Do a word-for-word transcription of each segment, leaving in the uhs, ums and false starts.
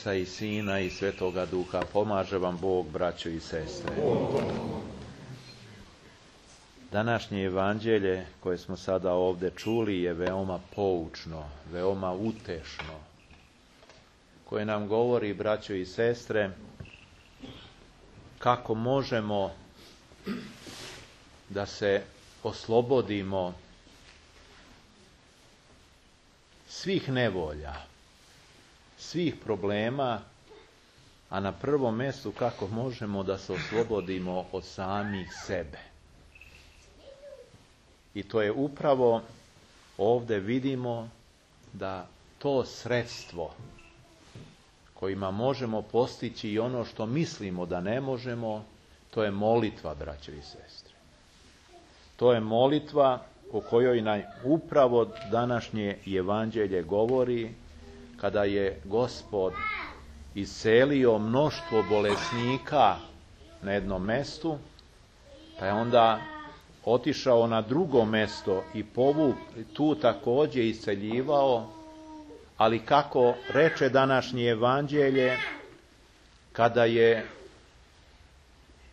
Oca i Sina i Svetoga Duha. Pomaže vam Bog, braćo i sestre. Današnje evanđelje koje smo sada ovdje čuli je veoma poučno, veoma utešno, koje nam govori, braćo i sestre, kako možemo da se oslobodimo svih nevolja, svih problema, a na prvom mjestu kako možemo da se oslobodimo od samih sebe. I to je upravo ovdje vidimo da to sredstvo kojima možemo postići i ono što mislimo da ne možemo, to je molitva, braćo i sestre. To je molitva o kojoj nam upravo današnje evanđelje govori, kada je Gospod iscelio mnoštvo bolesnika na jednom mjestu, pa je onda otišao na drugo mjesto i povuk tu također isceljivao, ali kako reče današnje evanđelje, kada je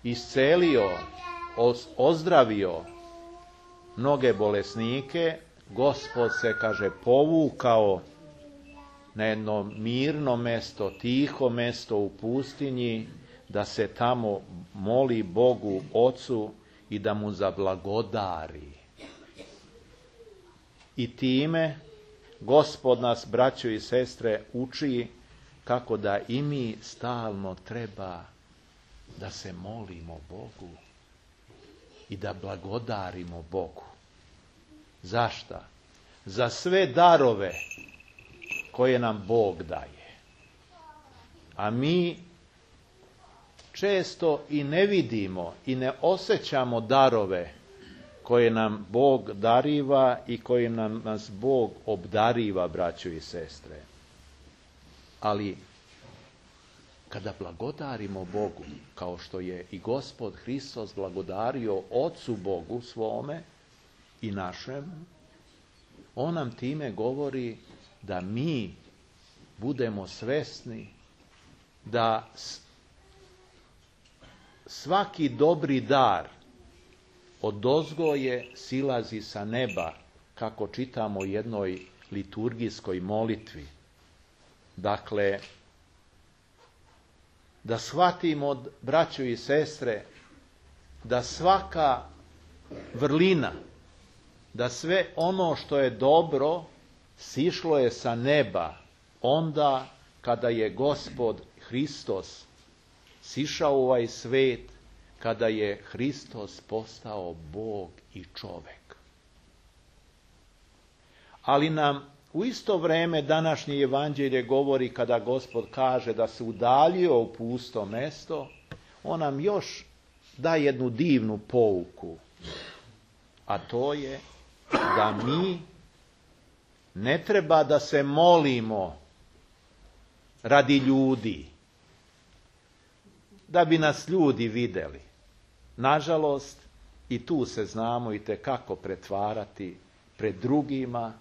iscelio, ozdravio mnoge bolesnike, Gospod se, kaže, povukao na jedno mirno mjesto, tiho mjesto u pustinji, da se tamo moli Bogu Ocu i da mu zablagodari. I time Gospod nas, braćo i sestre, uči kako da i mi stalno treba da se molimo Bogu i da blagodarimo Bogu. Zašto? Za sve darove koje nam Bog daje. A mi često i ne vidimo i ne osjećamo darove koje nam Bog dariva i koje nam nas Bog obdariva, braćo i sestre. Ali kada blagodarimo Bogu, kao što je i Gospod Hristos blagodario Ocu Bogu svome i našemu, on nam time govori da mi budemo svesni da svaki dobri dar odozgo je silazi sa neba, kako čitamo u jednoj liturgijskoj molitvi. Dakle, da shvatimo, braćo i sestre, da svaka vrlina, da sve ono što je dobro sišlo je sa neba onda kada je Gospod Hristos sišao u ovaj svet, kada je Hristos postao Bog i čovjek. Ali nam u isto vrijeme današnje evanđelje govori, kada Gospod kaže da se udaljio u pusto mjesto, on nam još da jednu divnu pouku, a to je da mi ne treba da se molimo radi ljudi, da bi nas ljudi vidjeli. Nažalost, i tu se znamo i tekako pretvarati pred drugima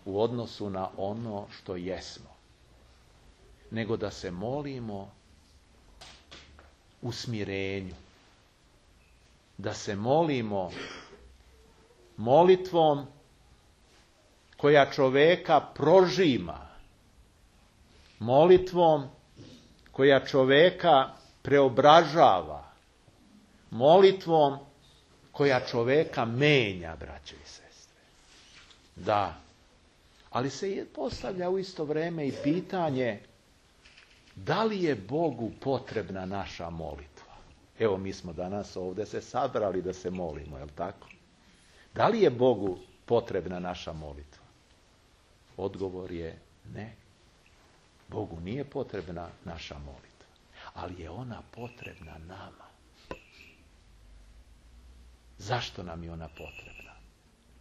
u odnosu na ono što jesmo. Nego da se molimo u smirenju. Da se molimo molitvom koja čoveka prožima. Molitvom koja čoveka preobražava. Molitvom koja čoveka menja, braćo i sestre. Da. Ali se postavlja u isto vrijeme i pitanje, da li je Bogu potrebna naša molitva? Evo, mi smo danas ovdje se sabrali da se molimo, je li tako? Da li je Bogu potrebna naša molitva? Odgovor je ne. Bogu nije potrebna naša molitva, ali je ona potrebna nama. Zašto nam je ona potrebna?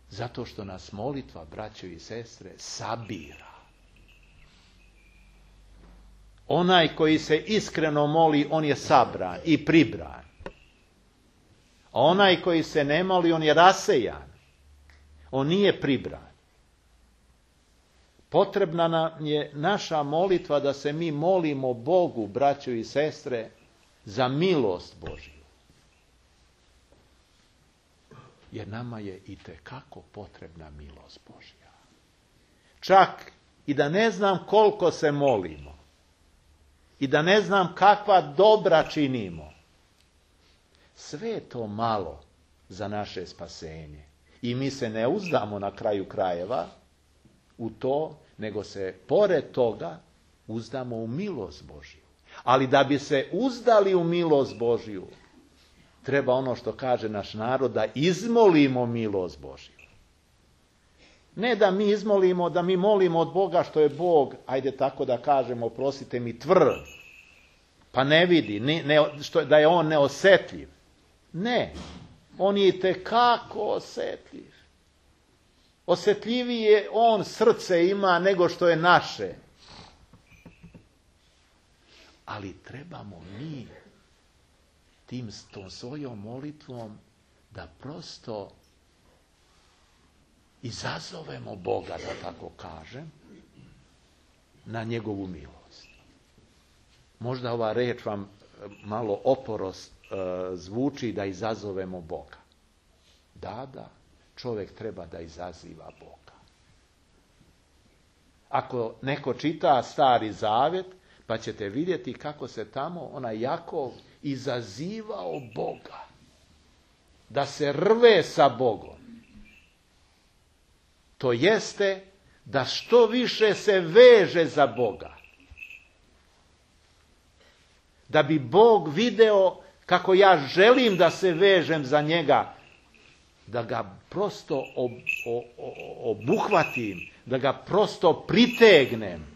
Zato što nas molitva, braćo i sestre, sabira. Onaj koji se iskreno moli, on je sabran i pribran. A onaj koji se ne moli, on je rasejan. On nije pribran. Potrebna nam je naša molitva da se mi molimo Bogu, braćo i sestre, za milost Božju. Jer nama je itekako potrebna milost Božja. Čak i da ne znam koliko se molimo i da ne znam kakva dobra činimo, sve je to malo za naše spasenje. I mi se ne uzdamo na kraju krajeva u to, nego se pored toga uzdamo u milost Božju. Ali da bi se uzdali u milost Božju, treba ono što kaže naš narod, da izmolimo milost Božju. Ne da mi izmolimo, da mi molimo od Boga što je Bog, ajde tako da kažemo, oprostite mi, tvrd, pa ne vidi, ne, ne, što, da je on neosjetljiv. Ne, on je itekako osjetljiv. Osjetljivije on srce ima nego što je naše. Ali trebamo mi tim tom svojom molitvom da prosto izazovemo Boga, da tako kažem, na njegovu milost. Možda ova reč vam malo oporost e, zvuči, da izazovemo Boga. Da, da, čovjek treba da izaziva Boga. Ako neko čita Stari Zavjet, pa ćete vidjeti kako se tamo onaj Jakov izazivao Boga. Da se rve sa Bogom. To jeste da što više se veže za Boga. Da bi Bog video kako ja želim da se vežem za njega, da ga prosto ob, o, o, obuhvatim, da ga prosto pritegnem,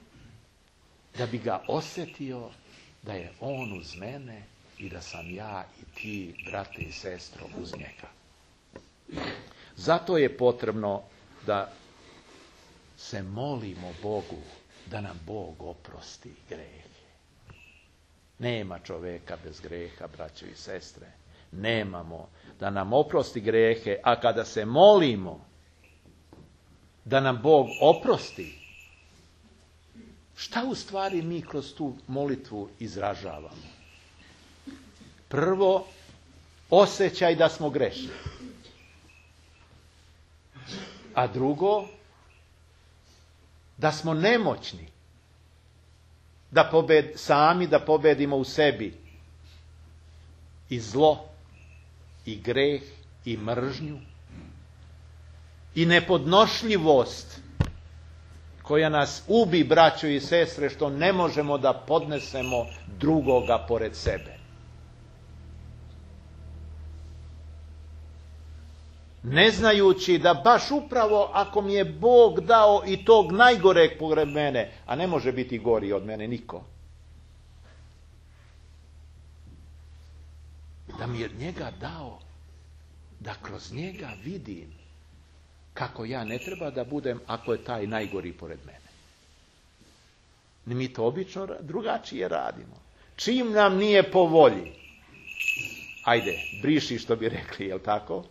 da bi ga osjetio da je on uz mene i da sam ja i ti, brate i sestro, uz njega. Zato je potrebno da se molimo Bogu da nam Bog oprosti grehe. Nema čovjeka bez greha, braćo i sestre. Nemamo da nam oprosti grehe, a kada se molimo da nam Bog oprosti, šta u stvari mi kroz tu molitvu izražavamo? Prvo, osjećaj da smo grešni. A drugo, da smo nemoćni. Da pobed, sami da pobedimo u sebi i zlo, i greh, i mržnju, i nepodnošljivost koja nas ubi, braćo i sestre, što ne možemo da podnesemo drugoga pored sebe. Ne znajući da baš upravo ako mi je Bog dao i tog najgoreg pored mene, a ne može biti gori od mene niko, da mi je njega dao, da kroz njega vidim kako ja ne treba da budem ako je taj najgori pored mene. Mi to obično drugačije radimo. Čim nam nije po volji, ajde, briši što bi rekli, jel tako?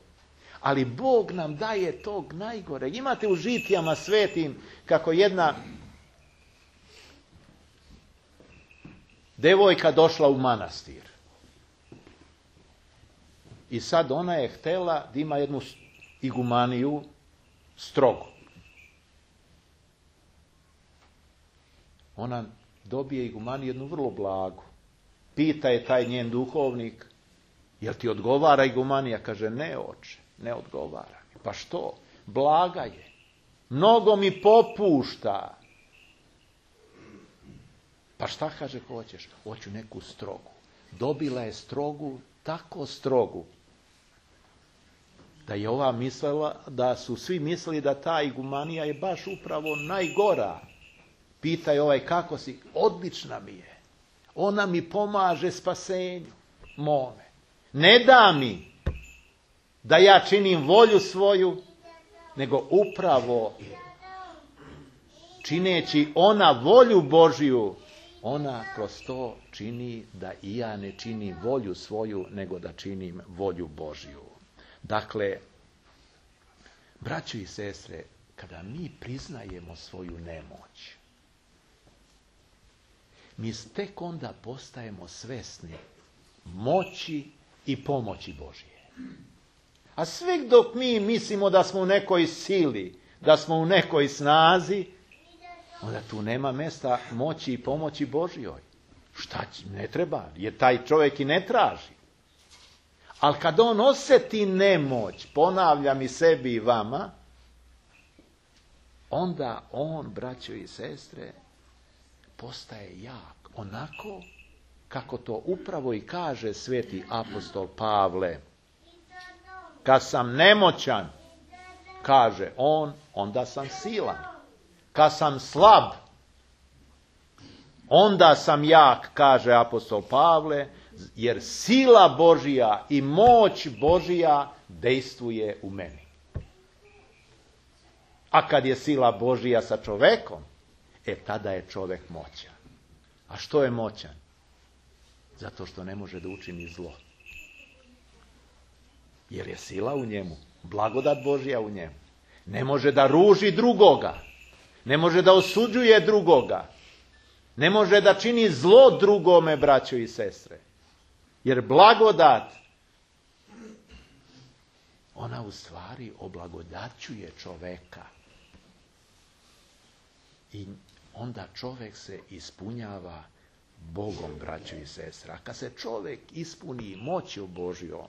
Ali Bog nam daje tog najgore. Imate u Žitijama svetim kako jedna devojka došla u manastir. I sad ona je htjela da ima jednu igumaniju strogu. Ona dobije igumaniju jednu vrlo blagu. Pita je taj njen duhovnik, jel ti odgovara igumanija? Kaže, ne oče, ne odgovara. Pa što? Blaga je. Mnogo mi popušta. Pa šta, kaže, hoćeš? Hoću neku strogu. Dobila je strogu, tako strogu, da je ova mislila, da su svi mislili da ta igumanija je baš upravo najgora. Pita je ovaj, kako si? Odlična mi je. Ona mi pomaže spasenju mome. Ne da mi da ja činim volju svoju, nego upravo čineći ona volju Božju, ona kroz to čini da i ja ne činim volju svoju, nego da činim volju Božju. Dakle, braćo i sestre, kada mi priznajemo svoju nemoć, mi tek onda postajemo svesni moći i pomoći Božje. A sve dok mi mislimo da smo u nekoj sili, da smo u nekoj snazi, onda tu nema mjesta moći i pomoći Božjoj. Šta će, ne treba, jer taj čovjek i ne traži. Ali kad on osjeti nemoć, ponavljam i sebi i vama, onda on, braćo i sestre, postaje jak. Onako kako to upravo i kaže sveti apostol Pavle. Kad sam nemoćan, kaže on, onda sam silan. Kad sam slab, onda sam jak, kaže apostol Pavle, jer sila Božija i moć Božija dejstvuje u meni. A kad je sila Božija sa čovekom, e tada je čovek moćan. A što je moćan? Zato što ne može da učini zlo. Jer je sila u njemu, blagodat Božja u njemu. Ne može da ruži drugoga. Ne može da osuđuje drugoga. Ne može da čini zlo drugome, braćo i sestre. Jer blagodat, ona u stvari oblagodaćuje čoveka. I onda čovjek se ispunjava Bogom, braćo i sestre. A kad se čovjek ispuni moću Božjom,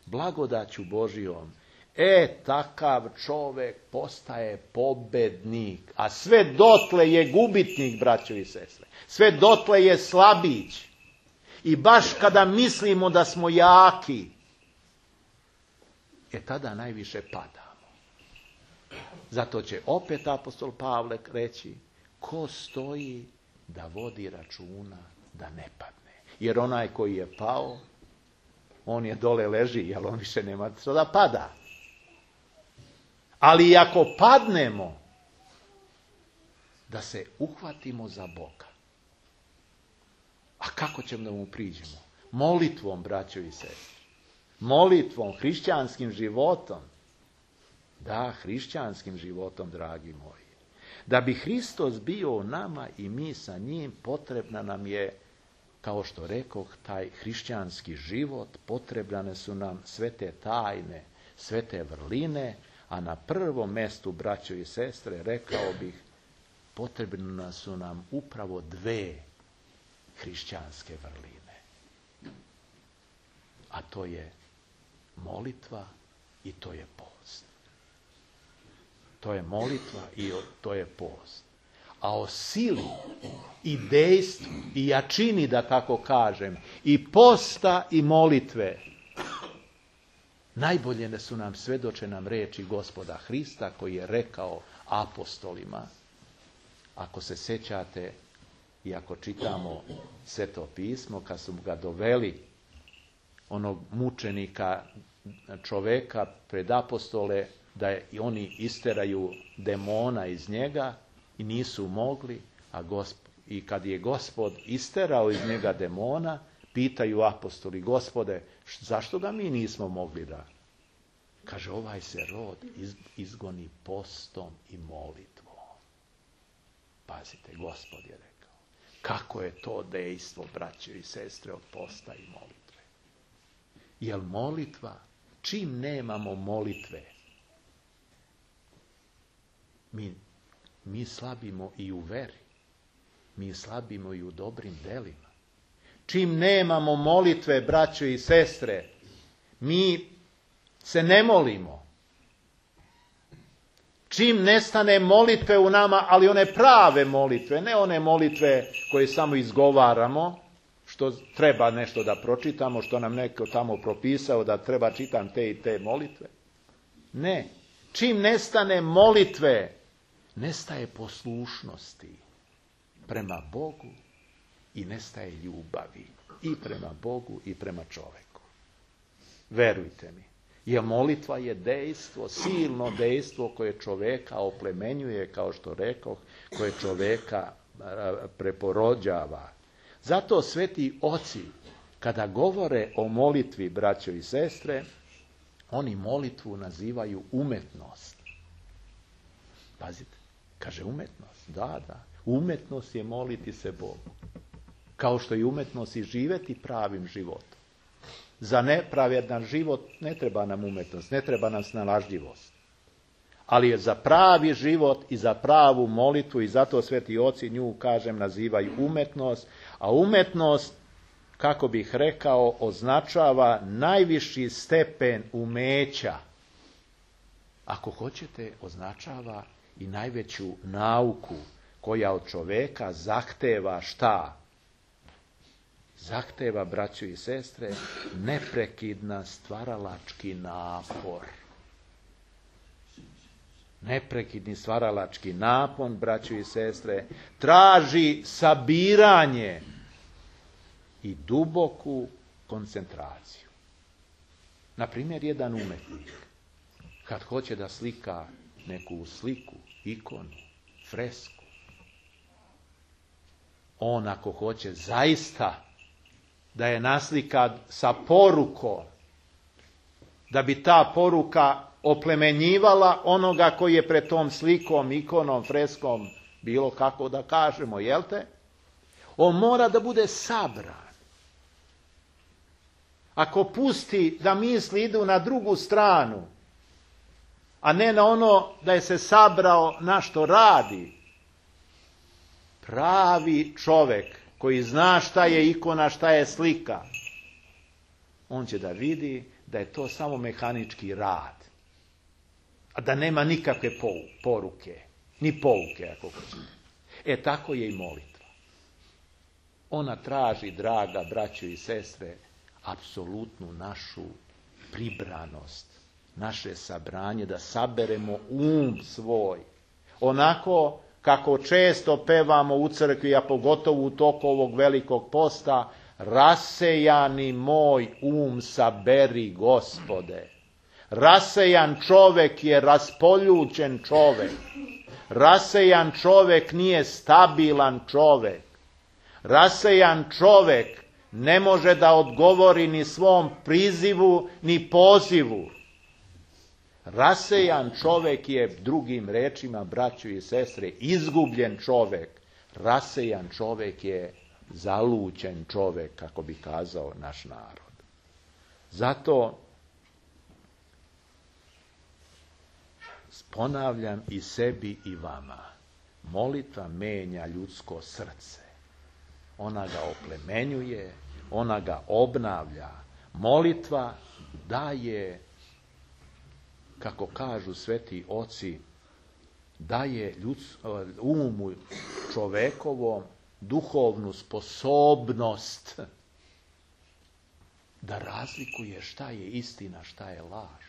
blagodaću Božjom, e, takav čovjek postaje pobednik. A sve dotle je gubitnik, braćo i sestre. Sve dotle je slabić. I baš kada mislimo da smo jaki, e tada najviše padamo. Zato će opet apostol Pavle reći, ko stoji da vodi računa da ne padne. Jer onaj koji je pao, on je dole leži, jer on više nema što da pada. Ali ako padnemo, da se uhvatimo za Boga. A kako ćemo da mu priđemo? Molitvom, braćo i sestre. Molitvom, hrišćanskim životom. Da, hrišćanskim životom, dragi moji. Da bi Hristos bio u nama i mi sa njim, potrebna nam je, kao što rekoh, taj hrišćanski život, potrebne su nam sve te tajne, sve te vrline, a na prvom mestu, braćo i sestre, rekao bih, potrebne su nam upravo dve hrišćanske vrline. A to je molitva i to je post. To je molitva i to je post. A o sili i dejstvu i jačini, da tako kažem, i posta i molitve, najbolje su nam svedoče nam reči Gospoda Hrista koji je rekao apostolima. Ako se sjećate i ako čitamo Sveto pismo, kad su ga doveli onog mučenika čoveka pred apostole, da je, i oni isteraju demona iz njega i nisu mogli, a gosp, i kad je Gospod isterao iz njega demona, pitaju apostoli, Gospode, zašto ga mi nismo mogli da? Kaže, ovaj se rod iz, izgoni postom i molitvom. Pazite, Gospod je rekao. Kako je to dejstvo, braće i sestre, od posta i molitve? Jer molitva, čim nemamo molitve, mi, mi slabimo i u veri. Mi slabimo i u dobrim delima. Čim nemamo molitve, braćo i sestre, mi se ne molimo. Čim nestane molitve u nama, ali one prave molitve, ne one molitve koje samo izgovaramo, što treba nešto da pročitamo, što nam neko tamo propisao da treba čitam te i te molitve. Ne. Čim nestane molitve, nestaje poslušnosti prema Bogu i nestaje ljubavi i prema Bogu i prema čoveku. Verujte mi. Jer molitva je dejstvo, silno dejstvo koje čoveka oplemenjuje, kao što rekoh, koje čoveka preporođava. Zato sveti oci, kada govore o molitvi, braćo i sestre, oni molitvu nazivaju umetnost. Pazite, kaže umetnost. Da, da. Umetnost je moliti se Bogu. Kao što je umetnost i živjeti pravim životom. Za nepravedan život ne treba nam umetnost, ne treba nam snalažljivost. Ali je za pravi život i za pravu molitvu, i zato sveti oci nju, kažem, nazivaju umetnost, a umetnost, kako bih rekao, označava najviši stepen umeća. Ako hoćete, označava i najveću nauku koja od čoveka zahteva šta? Zahteva, braćo i sestre, neprekidna stvaralački napor. Neprekidni stvaralački napor, braćo i sestre, traži sabiranje i duboku koncentraciju. Na primjer, jedan umetnik, kad hoće da slika neku sliku, ikonu, fresku, on ako hoće zaista da je naslika sa porukom, da bi ta poruka oplemenjivala onoga koji je pred tom slikom, ikonom, freskom, bilo kako da kažemo, jel te? On mora da bude sabran. Ako pusti da misli idu na drugu stranu, a ne na ono da je se sabrao na što radi, pravi čovjek koji zna šta je ikona, šta je slika, on će da vidi da je to samo mehanički rad, a da nema nikakve poruke, ni pouke, ako hoćete. E, tako je i molitva. Ona traži, draga braćo i sestre, apsolutnu našu pribranost, naše sabranje, da saberemo um svoj. Onako kako često pevamo u crkvi, a pogotovo u toku ovog velikog posta, rasejani moj um saberi, Gospode. Rasejan čovek je raspoljućen čovek. Rasejan čovek nije stabilan čovek. Rasejan čovek ne može da odgovori ni svom prizivu, ni pozivu. Rasejan čovek je, drugim rečima, braćo i sestre, izgubljen čovek. Rasejan čovek je zaluđen čovek, kako bi kazao naš narod. Zato ponavljam i sebi i vama, molitva menja ljudsko srce. Ona ga oplemenjuje, ona ga obnavlja. Molitva daje, kako kažu sveti oci, daje ljuds, umu čovekovom duhovnu sposobnost da razlikuje šta je istina, šta je laž.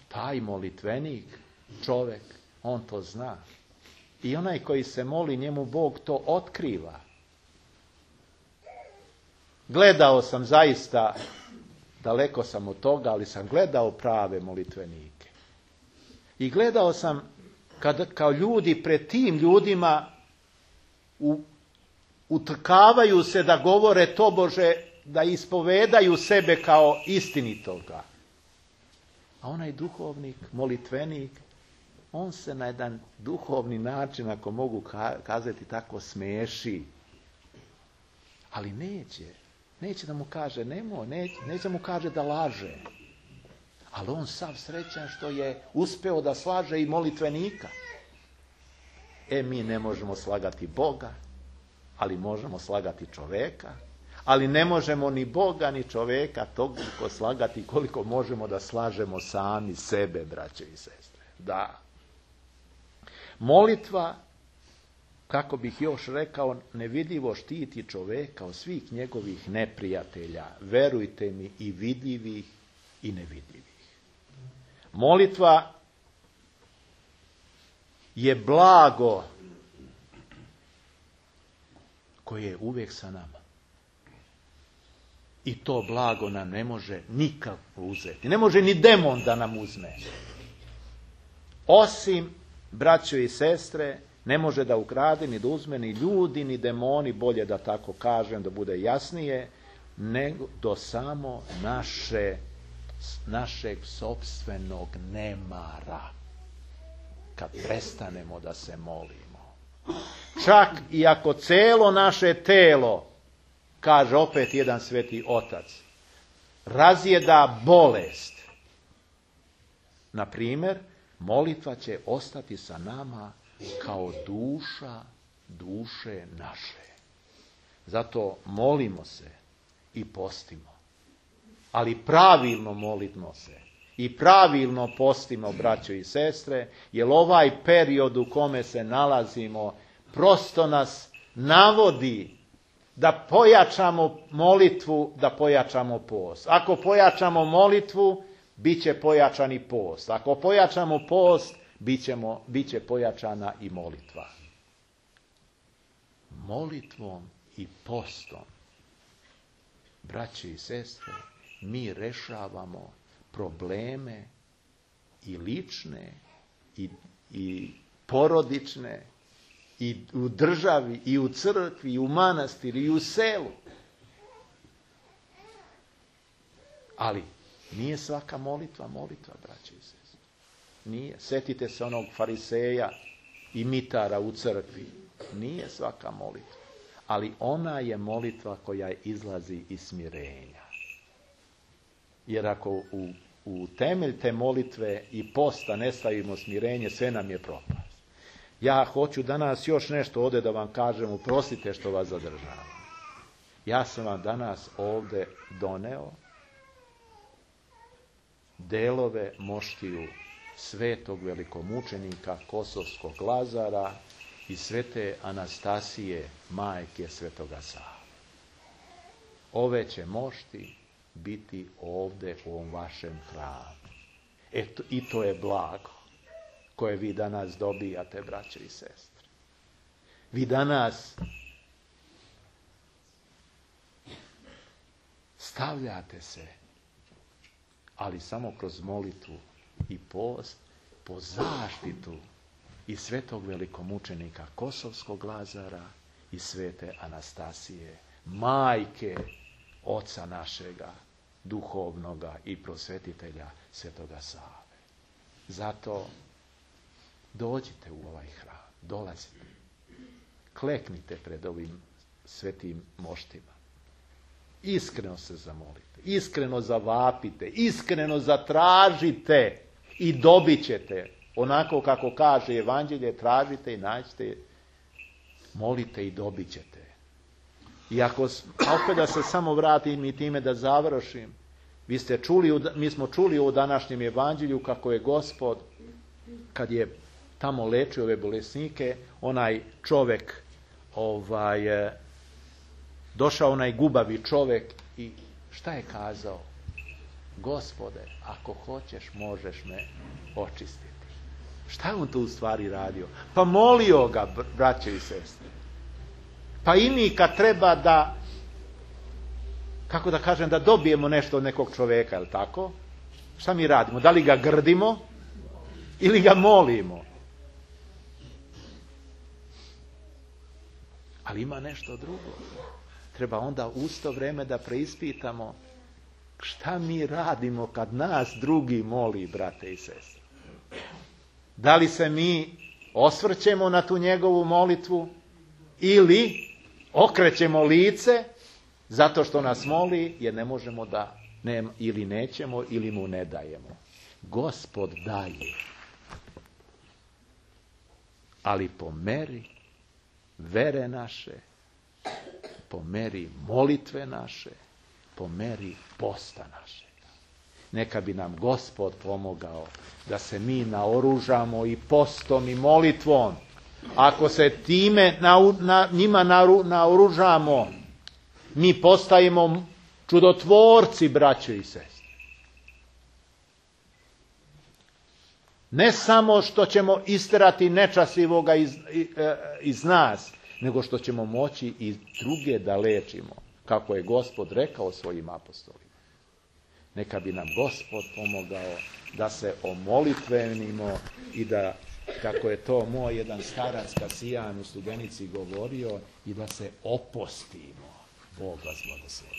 Taj molitvenik, čovek, on to zna. I onaj koji se moli, njemu Bog to otkriva. Gledao sam zaista, daleko sam od toga, ali sam gledao prave molitvenike. I gledao sam kad, kao ljudi pred tim ljudima u, utrkavaju se da govore tobože, da ispovedaju sebe kao istinitoga. A onaj duhovnik, molitvenik, on se na jedan duhovni način, ako mogu kazati tako, smeši. Ali neće. Neće da mu kaže nemoj, neće, neće da mu kaže da laže. Ali on sav srećan što je uspeo da slaže i molitvenika. E, mi ne možemo slagati Boga, ali možemo slagati čoveka. Ali ne možemo ni Boga, ni čoveka toliko slagati koliko možemo da slažemo sami sebe, braće i sestre. Da. Molitva, kako bih još rekao, nevidljivo štiti čoveka od svih njegovih neprijatelja. Verujte mi, i vidljivih i nevidljivih. Molitva je blago koje je uvijek sa nama. I to blago nam ne može nikako uzeti. Ne može ni demon da nam uzme. Osim, braćo i sestre, ne može da ukrade, ni da uzme, ni ljudi, ni demoni, bolje da tako kažem, da bude jasnije, nego do samo naše, našeg sopstvenog nemara. kad prestanemo da se molimo. Čak i ako celo naše telo, kaže opet jedan sveti otac, razjeda bolest, na primjer, molitva će ostati sa nama kao duša duše naše. Zato molimo se i postimo. Ali pravilno molimo se i pravilno postimo, braćo i sestre, jer ovaj period u kome se nalazimo prosto nas navodi da pojačamo molitvu, da pojačamo post. Ako pojačamo molitvu, bit će pojačan i post. Ako pojačamo post, bit, ćemo, bit će pojačana i molitva. Molitvom i postom, braći i sestre, mi rešavamo probleme i lične, i, i porodične, i u državi, i u crkvi, i u manastiru, i u selu. Ali nije svaka molitva molitva, braći i sestre. Nije. Sjetite se onog fariseja i mitara u crkvi. Nije svaka molitva. Ali ona je molitva koja izlazi iz smirenja. Jer ako u, u temelj te molitve i posta ne stavimo smirenje, sve nam je propast. Ja hoću danas još nešto ovdje da vam kažem, oprostite što vas zadržavam. Ja sam vam danas ovdje doneo delove moštiju svetog velikomučenika Kosovskog Lazara i svete Anastasije, majke svetoga Save. Ove će mošti biti ovdje u ovom vašem hramu. Eto, i to je blago koje vi danas dobijate, braće i sestre. Vi danas stavljate se, ali samo kroz molitvu i post, po zaštitu i svetog velikomučenika Kosovskog Lazara i svete Anastasije, majke oca našega, duhovnoga i prosvetitelja svetoga Save. Zato dođite u ovaj hram, dolazite, kleknite pred ovim svetim moštima. Iskreno se zamolite, iskreno zavapite, iskreno zatražite i dobit ćete. Onako kako kaže Evanđelje, tražite i nađite, molite i dobit ćete. I ako, opet da se samo vratim i time da završim, vi ste čuli, mi smo čuli u današnjem Evanđelju kako je Gospod, kad je tamo lečio ove bolesnike, onaj čovjek, ovaj, došao onaj gubavi čovjek i šta je kazao? Gospode, ako hoćeš, možeš me očistiti. Šta je on tu u stvari radio? Pa molio ga, braće i sestre. Pa i mi kad treba da, kako da kažem, da dobijemo nešto od nekog čovjeka, je li tako? Šta mi radimo? Da li ga grdimo ili ga molimo? Ali ima nešto drugo. Treba onda u isto vrijeme da preispitamo šta mi radimo kad nas drugi moli, brate i sestre. Da li se mi osvrćemo na tu njegovu molitvu ili okrećemo lice zato što nas moli jer ne možemo da, ne, ili nećemo ili mu ne dajemo. Gospod daje, ali po meri vere naše, po meri molitve naše, po meri posta našega. Neka bi nam Gospod pomogao da se mi naoružamo i postom i molitvom. Ako se time na, na, njima naru, naoružamo, mi postajemo čudotvorci, braćo i sestre. Ne samo što ćemo isterati nečastivoga iz, iz nas, nego što ćemo moći i druge da lečimo, kako je Gospod rekao svojim apostolima. Neka bi nam Gospod pomogao da se omolitvenimo i da, kako je to moj jedan starac Kasijan u Studenici govorio, i da se opostimo. Bog vas blagoslovi.